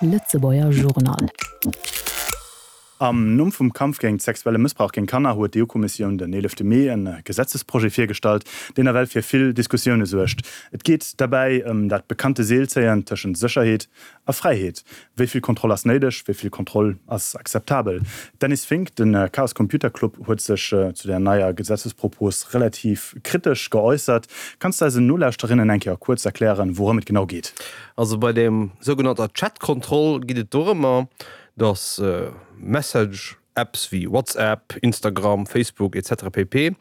Lëtzebuerger Journal. Am Numm vum Kampf géint sexuelle Mëssbrauch géint Kanner huet d'EU-Kommissioun den 11 Mee e Gesetzesprojet virgestallt, deen nawell fir vill Diskussioune suergt. Et geet derbäi ëm dat bekannte Seelzéien tëschent Sécherheet a Fräiheet. Wéi vill Kontroll ass néideg? Wéi vill Kontroll ass akzeptabel? Dennis Fink, De Chaos Computer Club huet sech zu der neier Gesetzespropos relativ kritesch geäussert. Kanns de eisen Nolauschterinnen eng Kéier kuerz erklären, wourëm et genau geet? Also bei der sougenannter Chat-Kontroll geet et dorëmmer, dass Message-Apps wéi WhatsApp, Instagram, Facebook etc pp.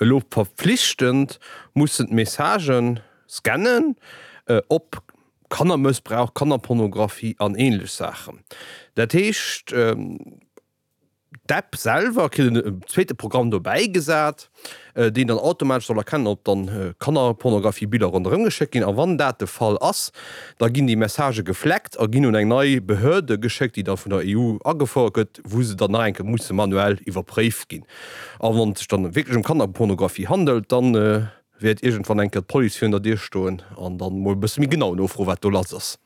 Elo verpflichtend mussen d'Messagen scannen op Kannermëssbrauch, Kannerpornografie an ähnlech Saachen. Dat heescht, d'App selwer kritt en zweete Programm dobäi gesat, deen dann automatesch soll erkennen, ob dann Kannerpornografie-Biller ronderëm geschéckt ginn. A wann dat de Fall ass, da ginn déi Messagë gefleckt a ginn un eng nei Behörde geschéckt, déi da vun der EU agefouert gëtt, wou se dann nach eng Kéier musse manuell iwwerpréift ginn. A wann et sech dann wierklech ëm Kannerpornografie handelt, dann wäert iergendwann eng Kéier d'Police virun der Dier stoen an dann mol e bësse méi genau nofroen, wat do lass ass.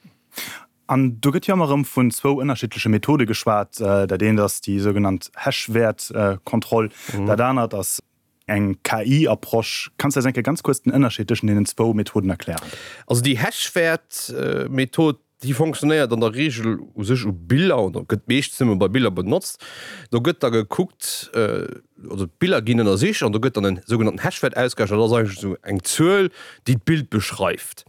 An do gëtt jo ëmmer erëm vun zwou ënnerschiddleche Methode geschwat. Dat eent ass déi sougenannt Hash-Wäert-Kontroll, dat anert ass eng KI-Approche. Kanns de eis eng Kéier ganz kuerz den Ënnerscheed tëschent deenen zwou Methoden erklären? Also déi Hash-Wäert-Method, Déi fonctionnéiert an der Reegel u sech u Biller oder gëtt meeschtens nëmme bei Biller benotzt. Do gëtt da gekuckt, also d'Biller ginn ënnersicht an do gëtt dann en sougenannten Hashwäert ausgerechent. Dat ass eigentlech esou eng Zuel, déi d'Bild beschreift.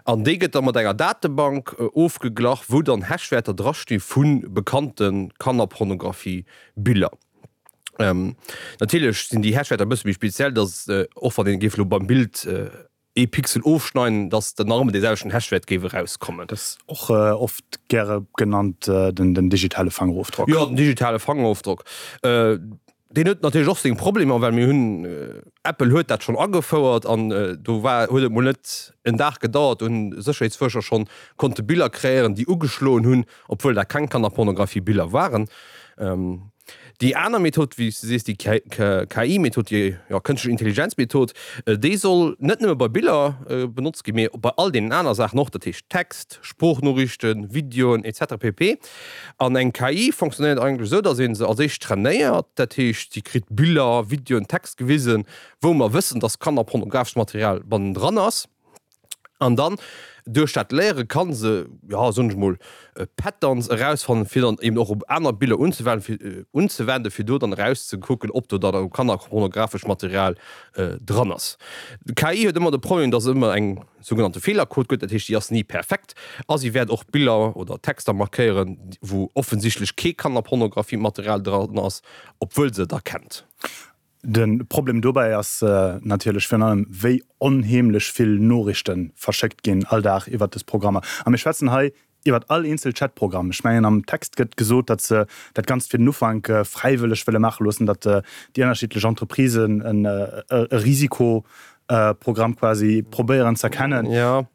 An déi gëtt da mat enger Datebank ofgeglach, wou dann Hashwäerter drasti vu bekannte Kannerpornografie-Biller. Natierlech sinn déi Hashwäerter e bësse méi speziell, datt och wann een géif elo beim Bild ee Pixel ofschneiden, dass dann nach ëmmer dee selwechten Hashwäert géif erauskommen. Dat ass och oft gäre genannt den digitale Fangerofdrock. Jo, den digitale Fangerofdrock, deen huet natierlech och seng Problemer, well mir hunn, Apple huet dat schonn agefouert an do war, huet et mol net en Dag gedauert, do hunn Sécherheetsfuerscher schonn konnte Biller kreéieren, déi ugeschloen hunn, obwuel dat keng Kannerpornografie-Biller waren. Déi aner Method, wéi s de sees, déi KI-Method, déi jo kënschtlech Intelligenz-Method, déi soll net nëmme bei Biller benotzt ginn, mee bei all deenen aner Saachen och, dat heescht Text, Sproochnoriichten, Videoen etc. Pp. An eng KI fonctionnéiert eigentlech esou, datt ee se als éischt trainéiert, dat heescht si kritt Biller, Videoen, Text gewisen, wou mer wëssen, datt kannerpornografescht Material bannendran ass. An dann, duerch dat Léiere kann se, jo, soen ech mol, Patterns erausfannen, fir dann eben och op aner Biller unzewenden, fir unzewenden, fir do dann erauszekucken, ob do dann kannerpornografescht Material dran ass. D'KI huet ëmmer de Problem, dass et ëmmer eng sougenannte Feelerquot gëtt, dat heescht, déi ass ni perfekt a si wäert och Biller oder Texter markéieren, wou offensichtlech kee Kannerpornografie-Material dran ass, obwuel se et erkennt. De Problem dobäi ass natierlech virun allem, wéi onheemlech vill Noriichte verschéckt ginn all Dag iwwert dës Programmer. A mir schwätzen hei iwwert all eenzel Chatprogramm. Ech mengen, am Text gëtt gesot, datt se dat Ganzt fir den Ufank fräiwëlleg wëlle maache loossen, datt déi ënnerschiddlech Entreprisen e Risikoprogramm quasi probéieren z'erkennen. Jo.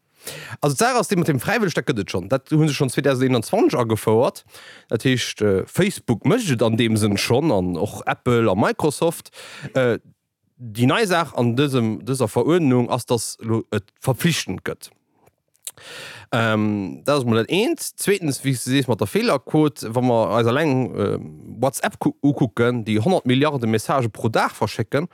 Also d'Saach ass déi mat dem fräiwëlleg, dat gëtt et schonn. Dat hu se schonn 2021 agefouert. Dat heescht, Facebook mécht et an deem Sënn schonn an och Apple a Microsoft. Déi nei Saach an dësem, dëser Veruerdnung ass, datt elo et verpflichtend gëtt. Dat ass emol dat eent. Zweetens, wéi s de sees mat der Feelerquot, wa mer eis eleng WhatsApp ukucken, déi 100 Milliarde Messagë pro Dag verschécken,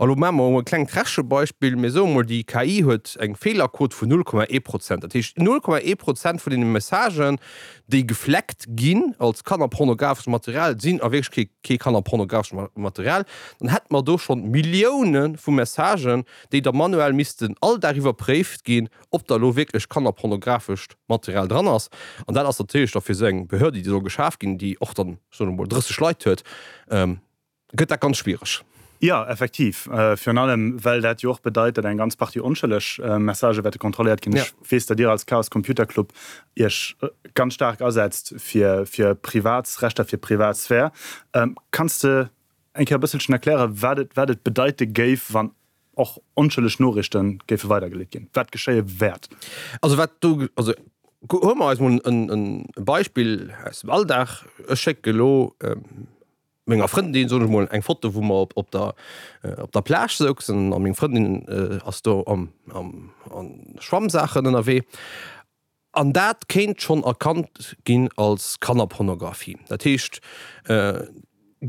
A lo maache mer emol e klengt Rechebeispill, Mir soe mol, déi KI huet eng Feelerquot vun 0,1 Prozent. Dat heescht, 0,1 Prozent vun deene Messagen, déi gefleckt ginn als kannerpornografescht Material, sinn a Wierklechkeet kee kannerpornografescht Material. Dann hätte mer do schonn Millioune vu Messagen, déi da manuell missten all Dag iwwerpréift ginn, ob da lo wierklech kannerpornografescht Material dran ass. An dat ass natierlech da fir esou eng Behörde, déi soll geschaf ginn, déi och dann, soe mer mol, 30 Leit huet, gëtt dat ganz schwiereg. Jo, effektiv. Virun allem, well dat jo och bedeit, datt eng ganz Partie onschëlleg Messagë wäerte kontrolléiert ginn. Ech weess, datt Dir als Chaos Computer Club Iech ganz staark asetzt fir fir Privatsrechter, fir Privatsphär. Kanns de eng Kéier e bësselchen erklären, wat et wat et bedeite géif, wann och onschëlleg Noriichte géife weidergeleet ginn, wat geschéie wäert? Also wat do, also huele mer eis mol en Beispill aus dem Alldag. Ech schécke elo menger Frëndin, soen ech mol, eng Foto wou mer op der op der Plage souzen a meng Frëndin ass do am am an Schwammsaachen ënnerwee. An dat kéint schonn erkannt ginn als Kannerpornografie. Dat heescht,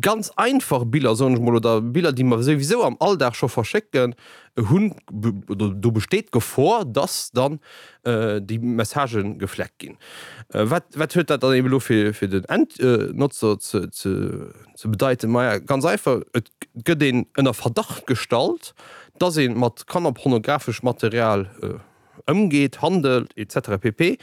ganz einfach Biller, soen ech mol, oder Biller, déi mer souwisou am Alldag scho verschécken, hunn, oder do besteet d'Gefor, dass dann déi Messagë gefleckt ginn. Wat, wat huet dat dann eben elo fir, fir den Endnotzer ze, ze, ze bedeiten? Maja, ganz einfach, et gëtt een ënner Verdacht gestallt, dass ee mat kannerpornografeschem Material ëmgeet, handelt etc. Pp.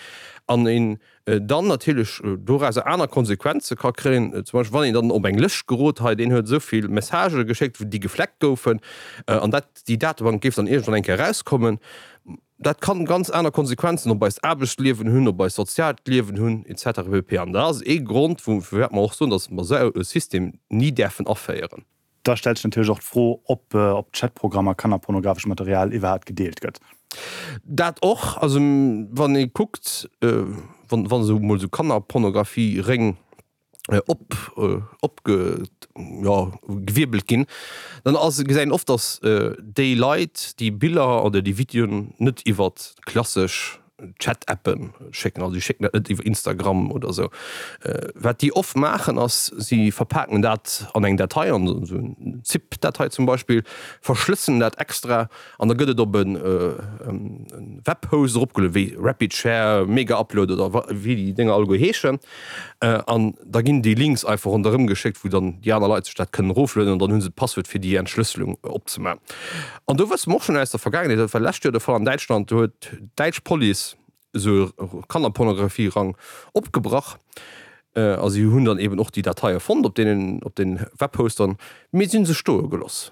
An een dann natierlech dorauser aner Konsequenze ka kréien, zum Beispill wann een dann op eng Lëscht gerot, hei deen huet esou vill Messagë geschéckt, déi gefleckt goufen, an dat déi Datebank géif dann iergendwann eng Kéier erauskommen. Dat kann ganz aner Konsequenzen op eist Aarbechtsliewen hunn, op eist soziaalt Liewen hunn etc. Pp. An dat ass ee Grond, firwat mer och soen, datt mer esou e System ni däerfen aféieren. Da stellt sech natierlech och d'Fro, ob op Chatprogrammer kannerpornografescht Material iwwerhaapt gedeelt gëtt. Dat och. Also wann ee kuckt, wann esou mol esou Kannerpornografie-Réng op opge jo gewierbelt ginn, dann ass gesäit een oft, datt déi Leit déi Biller oder déi Videoen net iwwer klassesch Chat-Appen schécken, also si schécken dat net iwwer Instagram oder esou. Wat déi oft maachen ass, si verpaken dat an eng Datei, an esou eng Zip-Datei zum Beispill, verschlësselen dat extra an da gëtt et op e Webhost eropgelueden, wéi RapidShare, Megaupload oder wéi déi Dénger alleguer heeschen. An da ginn déi Links einfach ronderëm geschéckt, wou dann déi aner Leit sech dat kënnen eroflueden an dann hu se d'Passwuert fir déi Entschlësselung opzemaachen. An do wësse mer och schonn aus der Vergaangenheet, dat war lescht Joer de Fall an Däitschland, do huet d'däitsch Police esou e Kannerpornografie-Rang opgebrach a si hunn dann eben och déi Dateie fonnt op deenen, op den Webhostern, mee si hu se stoe geloss.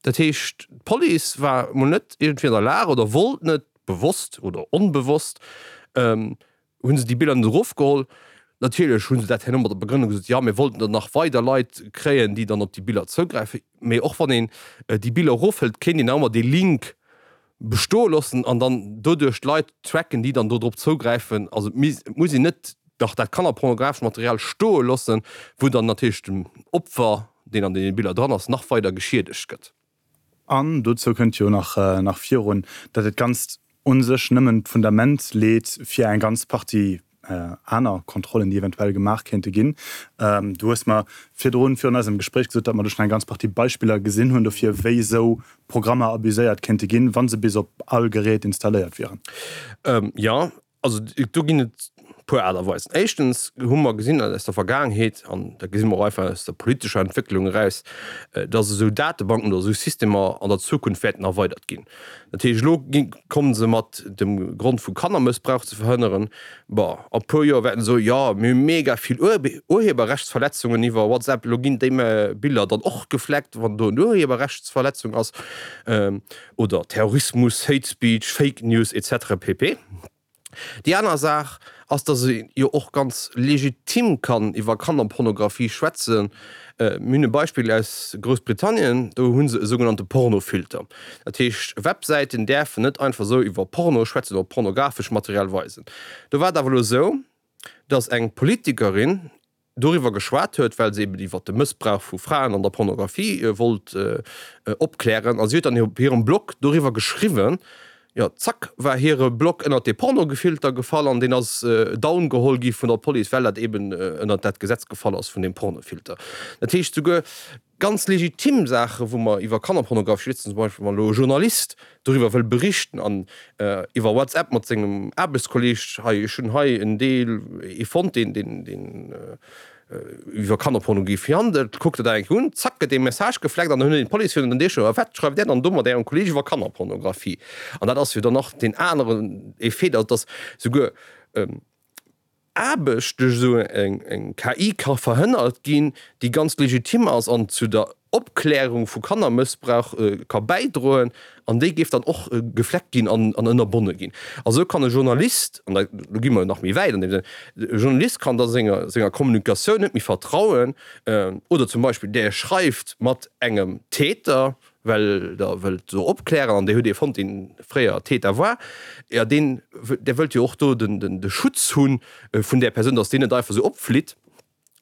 Dat heescht, d'Police war emol net iergendwéi an der Lag oder wollt net, bewosst oder onbewosst, hu se déi Biller net erofgeholl. Natierlech hu se dat herno mat der Begrënnung gesot, jo mir wollten dann nach weider Leit kréien, déi dann op déi Biller zougräifen. Mee och wann een déi Biller erofhëlt, kéint een nach ëmmer dee Link bestoe loossen an dann doduerch d'Leit tracken, déi dann do drop zougräifen. Also et muss een net dach dat kannerpornografescht Material stoe loossen, wou dann natierlech dem Opfer, deen an deene Biller dran ass, nach weider geschiedegt gëtt. An dozou kënnt jo nach nach virun, datt et Ganzt u sech nëmmen d'Fundament leet fir eng ganz Partie aner Kontrollen, déi eventuell gemaach kéinte ginn. Du hues mer virdrun, virun eisem Gespréich gesot, datt mer do schonn eng ganz Partie Beispiller gesinn hunn dofir, wéi esou Programmer abuséiert kéinte ginn, wa se bis op all Gerät installéiert wieren. Jo, Also do ginn et e puer Aart a Weisen. Éischtens hu mer gesinn aus der Vergaangenheet, an dat gesi mer och einfach aus der politescher Entwécklung eraus, datt esou Datebanken oder esou Systemer an der Zukunft wäerten erweidert ginn. Dat heescht, elo komme se mat dem Grond vu Kannermëssbrauch ze verhënneren. Bon, a puer Joer wäerten se soen, jo mir hu mega vill Urheberrechtsverletzungen iwwer WhatsApp, elo ginn déi Biller dann och gefleckt, wann do en Urheberrechtsverletzung ass. Oder Terrorismus, Hate Speech, Fake News etc. Pp. Déi aner Saach ass, dass ee jo och ganz legitim kann iwwer Kannerpornografie schwätzen. Mir hunn e Beispill aus Groussbritannien, do hu se e sougenannte Pornofilter. Dat heescht, Websäiten däerfen net einfach esou iwwer Porno schwätzen oder pornografesch Material weisen. Do war et awer elo esou, dass eng Politikerin doriwwer geschwat huet, well se eben iwwer de Mëssbrauch vu Fraen an der Pornografie wollt opklären. A si huet dann op hirem Blog doriwwer geschriwwen. Jo, zack war hire Blog ënnert dee Pornogefilter gefall an deen ass down geholl gi vun der Police, well dat eben ënnert dat Gesetz gefall ass vun deem Pornofilter. Dat heescht, souguer ganz legitim Saachen, wou mer iwwer Kannerpornografie schwätzen, zum Beispill wann elo e Journalist doriwwer wëll berichten an iwwer WhatsApp mat sengem Aarbechtskolleeg, hei ech hunn hei en Deel, ee fonnt, deen deen deen iwwer Kannerpornografie handelt, kuckt der dat eng Kéier un, zack gëtt dee Message gefleckt an dann huet een d'Police virun den Deeg, a wat schreift där dann do mat ärem Kolleeg iwwer Kannerpornografie? An dat ass jo dann nach deen aneren Effet, dass souguer Aarbecht duerch esou eng KI ka verhënnert ginn, déi ganz legitim ass an zu der Opklärung vu Kannermëssbrauch ka bäidroen, an déi géif dann och gefleckt ginn an ënnerbonne ginn. A sou kann e Journalist, an da gi mer nach méi wäit an deem Sënn, e Journalist kann da senger senger Kommunikatioun net méi vertrauen, oder zum Beispill där schreift mat engem Täter, well der wëllt do opklären an dir hutt ee fonnt, deen fréier Täter war, jo deen, där wëllt jo och do den, den, de Schutz hu vun där Persoun, datt deen net einfach esou opflitt.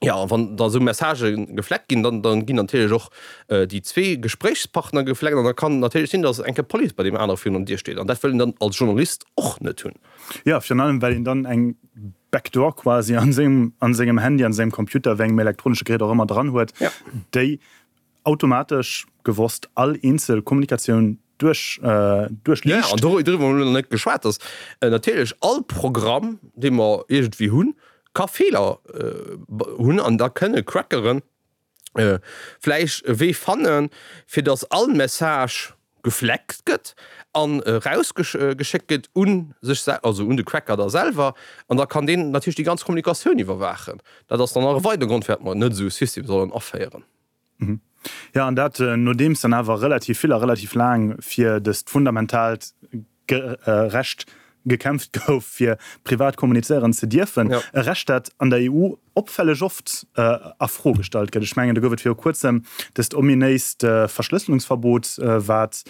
Jo, a wann da sou Messagë gefleckt ginn, dann, dann ginn natierlech och déi zwee Gespréichspartner gefleckt an da kann natierlech sinn, datt eng Kéier d'Police bei deem anere virun der Dier steet an dat wëll een dann als Journalist och net hunn. Jo, virun allem well een dann eng Backdoor quasi an sengem, an sengem Handy, an sengem Computer, wéi engem elektronesche Gerät och ëmmer dran huet, déi automatesch gewosst all eenzel Kommunikatioun duerch, duerchliicht. Jo, an doriwwer hu mer elo nach net geschwat, datt natierlech all Programm, dee mer iergendwéi hunn, ka Feeler hunn an da kënne Crackeren vläicht e Wee fannen, fir datt all Message gefleckt gëtt an erausgeschéckt gëtt u sech, also un de Cracker da selwer an da kann deen natierlech déi ganz Kommunikatioun iwwerwaachen. Dat ass dann nach e weidere Grond, firwat mer net esou e System sollen aféieren. Jo, an dat nodeems dann awer relativ vill a relativ laang fir dëst fundamentaalt Recht gekämpft gouf, fir privat kommunizéieren ze dierfen. E Recht, dat an der EU opfälleg oft a Fro gestallt gëtt. Ech mengen, do gouf et viru Kuerzem dëst ominéist Verschlësselungsverbot, wat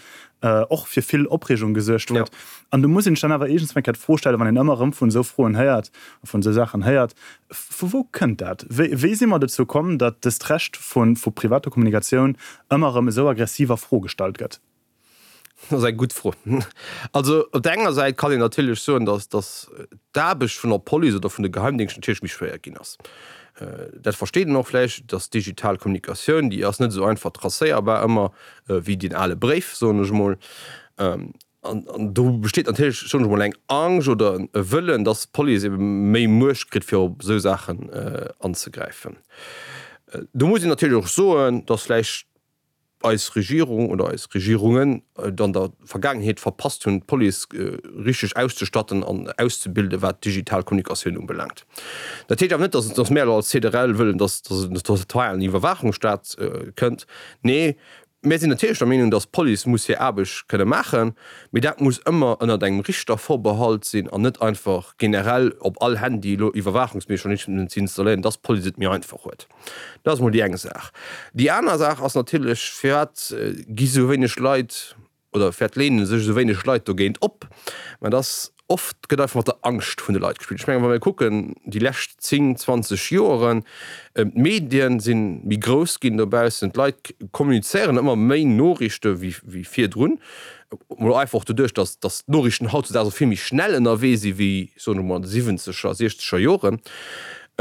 och fir vill Opreegung gesuergt huet. An do muss een sech dann awer iergendswann eng Kéier d'Fro stellen, wann een ëmmer erëm vun esou Froen héiert a vun esou Saachen héiert, Vu wou kënnt dat? Wéi si mer dozou komm, datt dëst Recht vu privater Kommunikatioun ëmmer erëm esou aggressiv a Fro gestallt gëtt? Dat ass eng gutt Fro. Also op der enger Säit kann een natierlech soen, datt datt d'Aarbecht vun der Police oder vun de Geheimdéngschten natierlech méi schwéier ginn ass. Dat versteet een och vläicht, datt digital Kommunikatioun, déi ass net esou einfach tracéierbar ëmmer wéi deen ale Bréif, soen ech emol. An do besteet natierlech, soen ech emol, eng Angscht oder e Wëllen, datt d'Police ebe méi Muecht kritt, fir op esou Saachen anzegräifen. Do muss een natierlech och soen, datt vläicht eis Regierung oder eis Regierungen et an der Vergaangenheet verpasst hunn, d'Police richteg auszestatten an auszebilden, wat d'digital Kommunikatioun ubelaangt. Dat heescht awer net, dass dass mär elo als CDRL wëllen, dass dass et en totalen Iwwerwaachungsstaat kënnt. Nee, mär sinn natierlech der Meenung, dass d'Police muss hir Aarbecht kënne maachen, mee dat muss ëmmer ënnert engem Richtervorbehalt sinn an net einfach generell op all Handy elo Iwwerwaachungsmechanismen ze installéieren, dass d'Police et méi einfach huet. Dat ass emol déi eng Saach. Déi aner Saach ass natierlech, firwat gi sou wéineg Leit oder firwat leene sech esou wéineg Leit dogéint op? Mä et ass oft, gëtt einfach mat der Angscht vun de Leit gespillt. Ech mengen, wa mir kucken déi lescht 10, 20 Joeren, d'Medien si méi grouss ginn dobaussen, d'Leit kommunizéieren ëmmer méi Noriichte wéi virdrun, mol einfach och doduerch, datt datt d'Noriichten hautzudaags och vill méi schnell ënnerwee si wéi, soen ech mol, an de siwwenzeger, siechzeger Joren.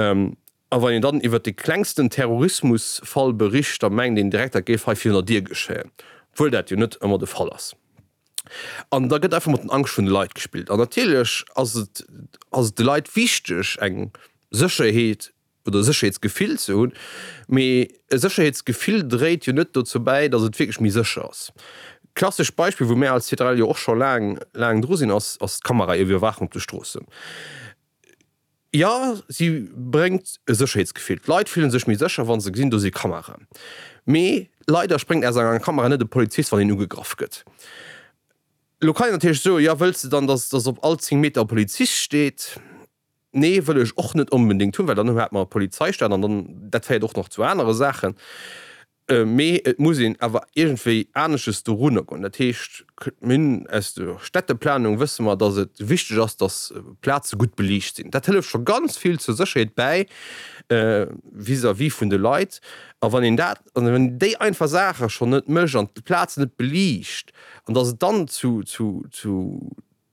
A wann een dann iwwert de klengsten Terrorismusfall bericht, da mengt een direkt, dat géif hei virun der Dier geschéien, obwuel dat jo net ëmmer de Fall ass. An da gëtt einfach mat den Angscht vun de Leit gespillt. An natierlech ass et, ass et de Leit wichteg, eng Sécherheet oder e Sécherheetsgefill ze hunn, mee e Sécherheetsgefill dréit jo net dozou bäi, datt et wierklech méi sécher ass. Klassescht Beispill, wou mär als CTRL jo och scho laang, laang dru sinn, ass, ass d'Kameraiwwerwaachung op de Stroossen. Jo, si bréngt e Sécherheetsgefill. D'Leit fillen sech méi sécher, wa se gesinn, do si Kameraen. Mee leider spréngt aus enger Kamera net e Polizist, wann een ugegraff gëtt. Elo kann een natierlech soen, jo, wëlls de dann, dass dass op all 10 Meter e Polizist steet? Nee, wëll ech och net onbedéngt hunn, well dann hätt mer e Polizeistaat an dann, dat féiert och nach zu anere Saachen. Mee et muss een awer iergendwéi anesches dorunner goen. Dat heescht, mir hunn aus der Städteplanung wësse mer, datt et wichteg ass, datt Plaze gutt beliicht sinn. Dat hëlleft scho ganz vill zur Sécherheet bäi vis-à-vis vun de Leit. A wann een dat, wann een déi einfach Saache schonn net mécht an d'Plazen net beliicht an datt et dann zu, zu, zu,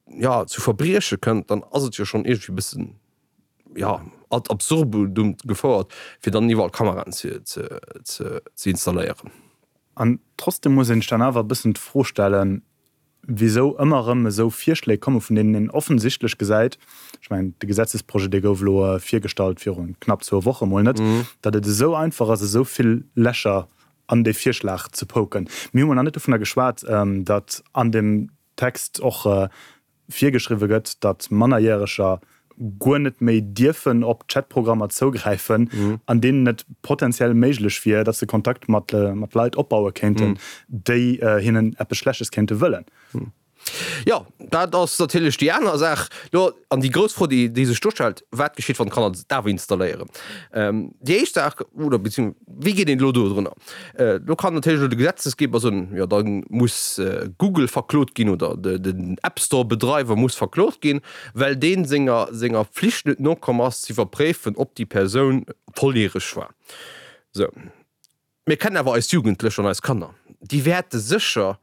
jo, zu Verbrieche kënnt, dann ass et jo schonn iergendwéi e bëssen, jo, ad absurdum gefouert, fir dann iwwerall Kameraen ze, ze, ze, ze installéieren. An trotzdem muss een sech dann awer e bëssen d'Fro stellen, wisou ëmmer erëm esou Virschléi komme vun deenen een offensichtlech gesäit, ech mengen, de Gesetzesprojet, dee gouf elo virgestallt viru knapp zwou Woche mol net, datt et esou einfach ass, esou vill Lächer an dee Virschlag ze poken. Mir hu mol nach net dovunner geschwat, datt an dem Text och virgeschriwwe gëtt, datt Mannerjäreger guer net méi dierfen op Chatprogrammer zougräifen, an deenen et potenziell méiglech wier, datt se Kontakt mat Leit opbaue kéinten, déi hinnen eppes Schlechtes kéinte wëllen. Jo, dat ass natierlech déi aner Saach. Lo, an déi grouss Fro, déi, déi sech do stellt, Wat geschitt, wann d'Kanner et awer installéieren? Déi éischt Saach, oder beziehungs wéi geet een elo dodrunner? Do kann natierlech elo de Gesetzesgeber soen, jo, da muss Google verklot ginn oder den App Store Bedreiwer muss verklot ginn, well dee senger, senger Pflicht net nokomm ass, ze iwwerpréifen, ob déi Persoun volljäreg war. Sou. Mir kennen awer eis Jugendlech an eis Kanner, déi wäerte sécher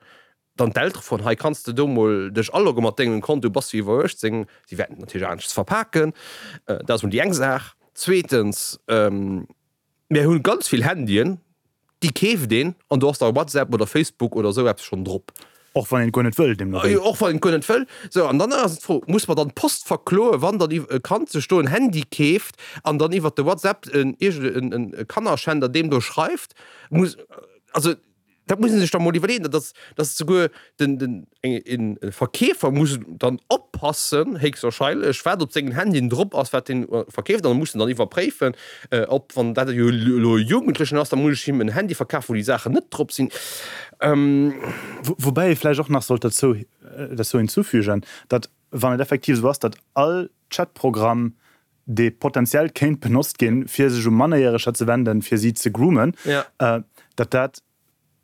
dann d'Eltere froen, hei kanns de do mol dech alogge mat dengem Konto, bass du iwwer 18? Si wäerten et natierlech aneschters verpaken, dat ass mol déi eng Saach. Zweetens, mir hu ganz vill Handyen, déi keeft een an do ass da WhatsApp oder Facebook oder esou eppes schonn drop. Och wann een et guer net wëll, deemno wéi. Och wann een et guer net wëll. Sou, an dann ass d'Fro, Muss mer dann d'Post verkloen, wann dann e Kand sech do en Handy keeft an dann iwwert de WhatsApp en iergend e Kannerschänder deem do schreift? Muss, also dat muss ee sech da mol iwwerleeën, dass, dass souguer den, den, eng, e Verkeefer muss dann oppassen, héchstwahrscheinlech, wat op sengen Handyen drop ass, wat deen verkeeft, an muss en dann iwwerpréifen, ob, wann dat jo elo e Jugendlechen ass, da muss ech him en Handy verkafen, wou déi Saachen net drop sinn. Woubäi ee vläicht och nach sollt derzou derzou hinzufügen, datt, wann et effektiv esou ass, datt all Chatprogramm, dee potenziell kéint benotzt ginn, fir sech u Mannerjäreger ze wenden, fir si ze groomen, datt dat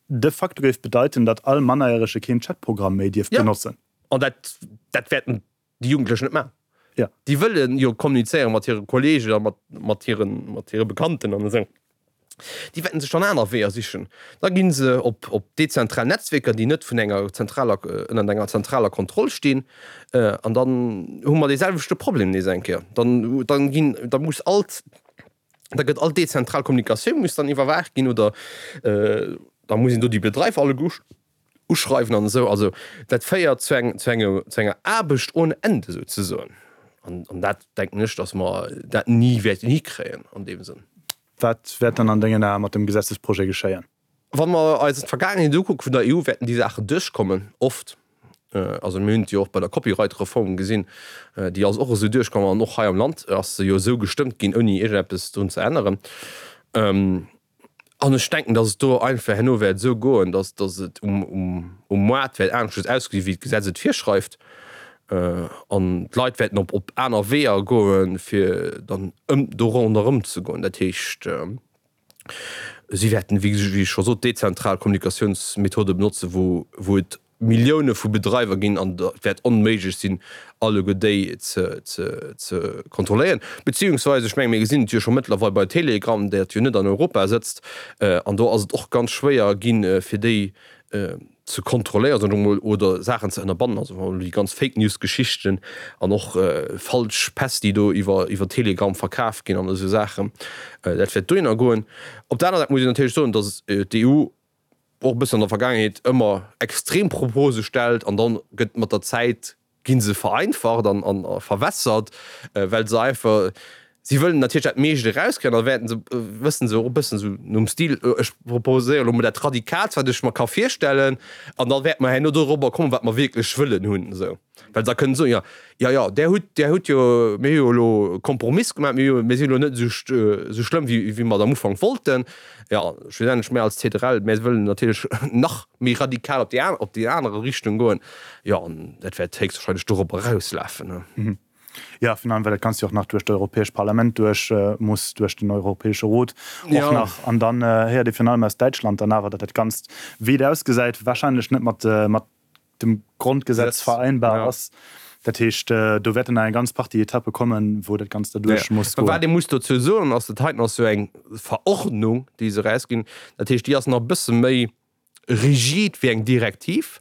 de facto géif bedeiten, datt all Mannerjärege keen Chatprogramm méi dierft benotzen. An dat dat wäerten déi Jugendlech net maachen. Ja. Déi wëlle jo kommunizéiere mat hire Kolleegen a mat, mat hiren, mat hire Bekannten an esou. Déi wäerten sech dann aner Weeër sichen. Da gi se op, op dezentral Netzwierker, déi net vun enger zentraler, ënnert enger zentraler Kontroll stinn. An dann hu mer dee selwechte Problem nees eng Kéier. Dann, dann ginn, da muss alt, da gëtt all dezentral Kommunikatioun muss dann iwwerwaacht ginn oder da muss een do déi Bedreifer alleguer uschreiwen an esou. Also dat féiert zu eng, zu engem, zu enger Aarbecht ohne Ende souzesoen. An, an dat denken ech, datt mer dat ni wäerten hikréien an deem Sënn. Wat wäert dann an dengen Ae mat dem Gesetzesprojet geschéien? Wa mer eis d'Vergaangenheet ukucke vun der EU, wäerten déi Saachen duerchkommen, oft. Also mir hunn et jo och bei der Copyright-Reform gesinn, déi ass och esou duerchkomm an och hei am Land ass se jo esou gestëmmt ginn, ouni iergendeppes drun ze änneren. An ech denken, datt et do einfach herno wäert esou goen, datt datt et um um um Moart wäert aneschters ausgesi wéi d'Gesetz et virschreift an d'Leit wäerten op op aner Weeër goen, fir dann ëm do ronderëm ze goen. Dat heescht, Si wäerten, wéi ech scho sot, dezentral Kommunikatiounsmethode benotzen, wou wou et Millioune vu Bedreiwer ginn an et wäert onméiglech sinn, alleguer déi ze ze ze kontrolléieren. Beziehungsweise, ech menge mir gesinn et jo scho mëttlerweil bei Telegram, dat jo net an Europa sëtzt, an do ass et och ganz schwéier ginn, fir déi ze kontrolléieren, soen ech emol, oder Saachen ze ënnerbannen, also wa déi ganz Fake News Geschichten an och falsch Päss, déi do iwwer iwwer Telegram verkaf ginn an esou Saachen, dat wäert dohinner goen. Op der aner Säit muss een natierlech soen, datt d'EU och e bëssen an der Vergaangenheet ëmmer extrem Propose stellt an dann gëtt mat der Zäit gi se vereinfacht an a verwässert, well se einfach, si wëllen natierlech dat meescht erauskréien, da wäerten se, wëssen se och e bëssen esou nom Stil, ech proposéieren elo mol dat Radikaalst, wat ech mer ka virstellen, an da wäerte mer herno dorobber kommen, wat mer wierklech wëllen hunn esou. Well se da kënnen soen, jo, jo, jo, där hutt, där hutt jo, mir hu jo elo e Kompromiss gemaach, mir hu jo, mir sinn elo net esou, esou schlëmm, wéi, wéi mer et am Ufank wollten. Jo, schlussendlech, mir als CDRL, mir wëllen natierlech nach méi radikal op déi aner, op déi anere Richtung goen. Jo, an dat wäert héchstwahrscheinlech dorop erauslafen. Jo, virun allem, well dat Ganzt jo och nach duerch d'Europäescht Parlament duerch muss, duerch den Europäesche Rot och nach. An dann héiert ee virun allem aus Däitschland dann awer, datt dat Ganzt, wéi et ausgesäit, wahrscheinlech net mat, mat dem Grondgesetz vereinbar ass. Dat heescht, do wäerten nach eng ganz Partie Etappe kommen, wou dat Ganzt derduerch muss goen. Wat ee muss dozou soen, ass, dat heiten ass jo eng Verordnung, déi se erausginn. Dat heescht, déi ass nach e bësse méi rigid wéi eng Direktiv.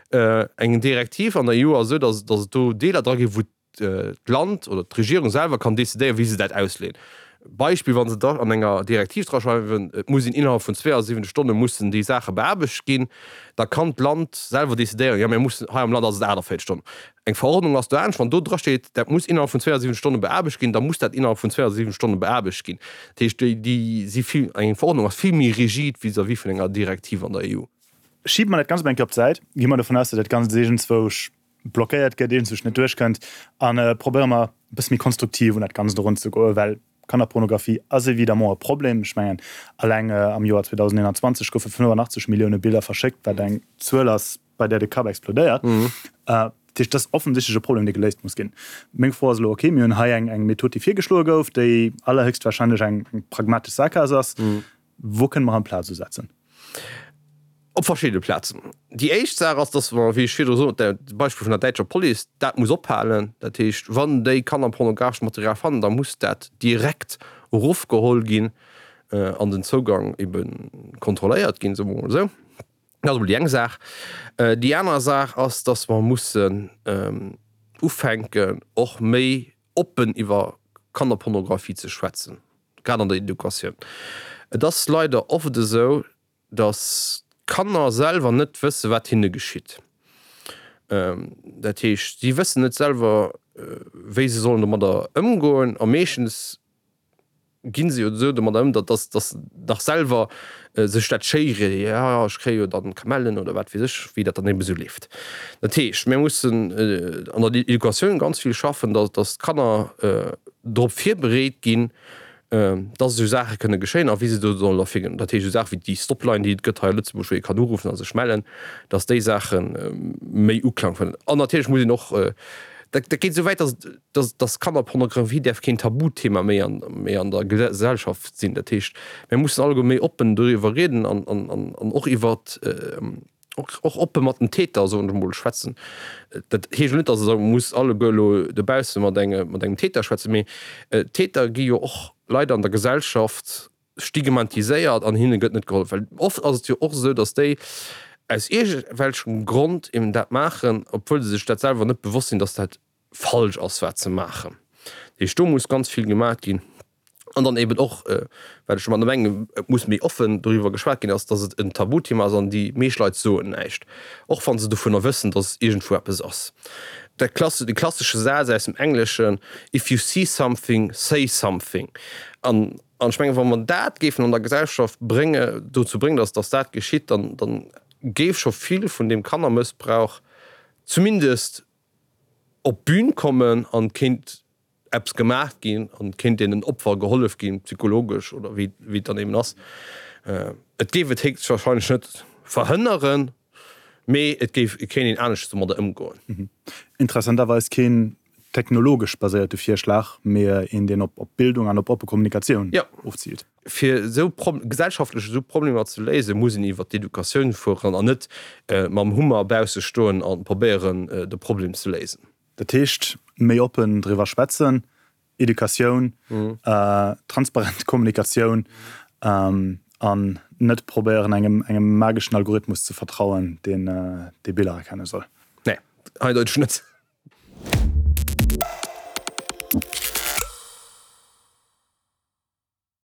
Eng Direktiv an der EU ass esou, datt et do Deeler dra ginn, wou d'Land oder d'Regierung selwer kann decidéieren, wéi se dat ausleeën. Beispill, wa se da an enger Direktiv draschreiwen, et muss een innerhalb vun 72 Stonne mussen déi Saache beaarbecht ginn, da kann d'Land selwer decidéieren, jo mir mussen, hei am Land ass et 48 Stonnen. Eng Verordnung ass do anescht, wann do drasteet, dat muss innerhalb vun 72 Stonne beaarbecht ginn, da muss dat innerhalb vun 72 Stonne beaarbecht ginn. Dat heescht, déi, déi si vill, eng Verordnung ass vill méi rigid vis-à-vis vun enger Direktiv an der EU. Schibe mer dat Ganzt emol eng Kéier op d'Säit, gi mer dovun aus, datt dat Ganzt iergendzwousch blockéiert gëtt, iergendzwousch net duerchkënnt, a probéiere mer e bësse méi konstruktiv un dat Ganzt erunzegoen, well Kannerpornografie ass évidemment e Problem. Ech mengen, alleng am Joer 2021 goufe 85 Millioune Biller verschéckt, wat eng Zuel ass, bei. bei där de Kapp explodéiert. Dat heescht, dat ass offensichtlech e Problem, dee geléist muss ginn. Meng Fro ass elo, okay, mir hunn hei eng, eng Method, déi virgeschloe gouf, déi allerhéchstwahrscheinlech eng, eng pragmatesch Sackgaass ass. Wou kënne mer amplaz usetzen? Op verschiddene Plazen. Déi éischt Saach ass, dass mer, wéi ech virdru sot, dat Beispill vun der däitscher Police, dat muss ophalen. Dat heescht, wann déi kannerpornografescht Material fannen, da muss dat direkt erofgeholl ginn an den Zougang ebe kontrolléiert ginn, soe mer emol esou. Dat ass emol déi eng Saach. Déi aner Saach ass, dass mer mussen ufänken, och méi oppen iwwer Kannerpornografie ze schwätzen, grad an der Educatioun. Et ass leider oft esou, dass d'Kanner selwer net wësse wat hinne geschitt. Dat heescht, si wëssen net selwer, wéi se sollen domadder ëmgoen a meeschtens ginn se jo esou domadder ëm, datt datt se dach selwer sech dat schéiere, jo ech kréie jo dann Kamellen oder wat weess ech, wéi dat dann eben esou leeft. Dat heescht, mir mussen an der Educatioun ganz vill schaffen, datt datt d'Kanner drop virbereet ginn, datt esou Saache kënne geschéien a wéi se do sollen derfir ginn. Dat heescht esou Saache wéi déi Stopline, déi et gëtt hei a Lëtzebuerg, wou ee kann uruffen a sech mellen, datt déi Saache méi Uklang fannen. An natierlech muss een och, dat dat geet esou wäit, datt datt datt Kannerpornografie däerf keen Tabuthema méi an méi an der Gesellschaft sinn. Dat heescht, mir mussen alleguer méi oppen doriwwer rieden an an an och iwwert, och oppe mat den Täter, soen ech emol, schwätzen. Dat heescht elo net, datt ee muss alleguer elo dobausse mat engem, mat engem Täter schwätzen, mee d'Täter gi jo och leider an der Gesellschaft stigmatiséiert an hinne gëtt net gehollef. Well oft ass et jo och esou, datt déi aus iergendwelchem Grond eben dat maachen, obwuel se sech dat selwer net bewosst sinn, datt dat falsch ass, wat se maachen. Dat heescht, do muss ganz vill gemaach ginn. An dann eben och, wat ech domadder mengen, et muss méi offen doriwwer geschwat ginn, ass, dass et en Tabuthema ass an déi meescht Leit soen näischt, och wa se dovunner wëssen, dass iergendwou eppes ass. Dat klasse, de klassesche Saz aus dem Engleschen, If you see something, say something. An, an ech mengen, wa mer dat géifen an der Gesellschaft brénge, dozou bréngen, dass, dass dat geschitt, dann, dann géif scho vill vun deem Kannermëssbrauch zumindest op d'Bün kommen an kéint eppes gemaach ginn an kéint deenen Opfer gehollef ginn, psychologesch oder wéi wéi et dann eben ass. Et géif et héchstwahrscheinlech net verhënneren, mee et géif et kéint een aneschters domadder ëmgoen. Interessanterweis keen technologesch baséierte Virschlag, mee een deen op Bildung an op oppe Kommunikatioun ofziilt. Fir esou gesellschaftlech esou Problemer ze léisen, muss een iwwer d'Educatioun fueren an net mam Hummer bausse stoen a probéieren de Problem ze léisen. Dat heescht, méi oppen driwwer schwätzen, Educatioun, transparent Kommunikatioun an net probéieren engem engem mageschen Algorithmus ze vertrauen, deen déi Biller erkenne soll. Nee, eindeuteg net.